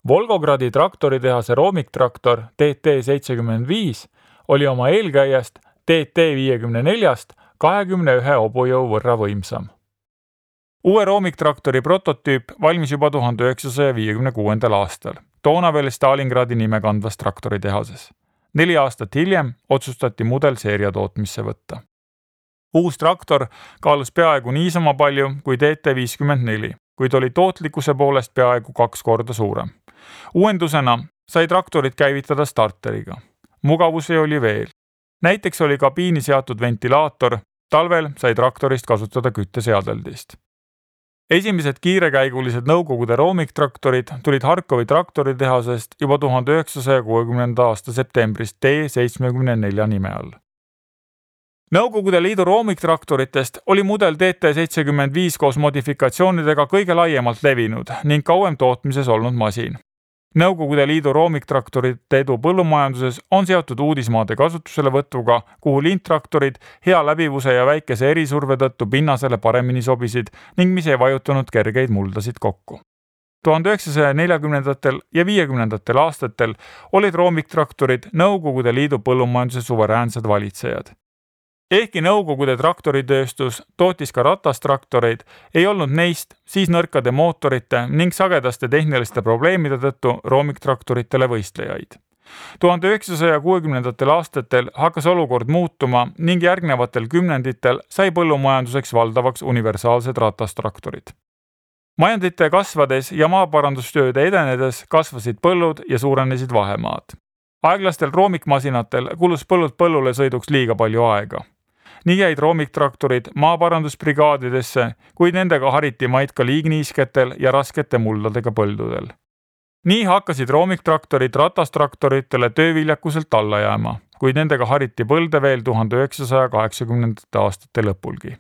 Volgogradi traktoritehase roomiktraktor TT75 oli oma eelkäijast TT54-st 21 hobujõu võrra võimsam. Uue roomiktraktori prototüüp valmis juba 1956. aastal, toona veel Stalingradi nime kandvas traktoritehases. 4 aastat hiljem otsustati mudel seeria tootmisse võtta. Uus traktor kaalus peaaegu niisama palju kui TT54, kuid oli tootlikkuse poolest peaaegu 2 korda suurem. Uuendusena sai traktorit käivitada starteriga. Mugavusi oli veel. Näiteks oli kabiini seatud ventilaator, talvel sai traktorist kasutada kütteseadeldist. Esimesed kiirekäigulised Nõukogude roomiktraktorid tulid Harkovi traktoritehasest juba 1960. aasta septembrist T74 nime all. Nõukogude Liidu roomiktraktoritest oli mudel TT75 koos modifikatsioonidega kõige laiemalt levinud ning kauem tootmises olnud masin. Nõukogude Liidu roomiktraktorite edu põllumajanduses on seotud uudismaade kasutuselevõtuga, kuhu lindtraktorid hea läbivuse ja väikese erisurve tõttu pinnasele paremini sobisid ning mis ei vajutanud kergeid muldasid kokku. 1940. ja 50. aastatel olid roomiktraktorid Nõukogude Liidu põllumajanduse suveräänsed valitsejad. Ehkki Nõukogude traktoritööstus tootis ka ratastraktoreid, ei olnud neist siis nõrkade mootorite ning sagedaste tehniliste probleemide tõttu roomiktraktoritele võistlejaid. 1960. aastatel hakkas olukord muutuma ning järgnevatel kümnenditel sai põllumajanduseks valdavaks universaalsed ratastraktorid. Majandite kasvades ja maaparandustööde edenedes kasvasid põllud ja suurenesid vahemaad. Aeglastel roomikmasinatel kulus põllult põllule sõiduks liiga palju aega. Nii jäid roomiktraktorid maaparandusbrigaadidesse, kuid nendega hariti maid ka liigniisketel ja raskete muldadega põldudel. Nii hakkasid roomiktraktorid ratastraktoritele tööviljakuselt alla jääma, kuid nendega hariti põlde veel 1980. aastate lõpulgi.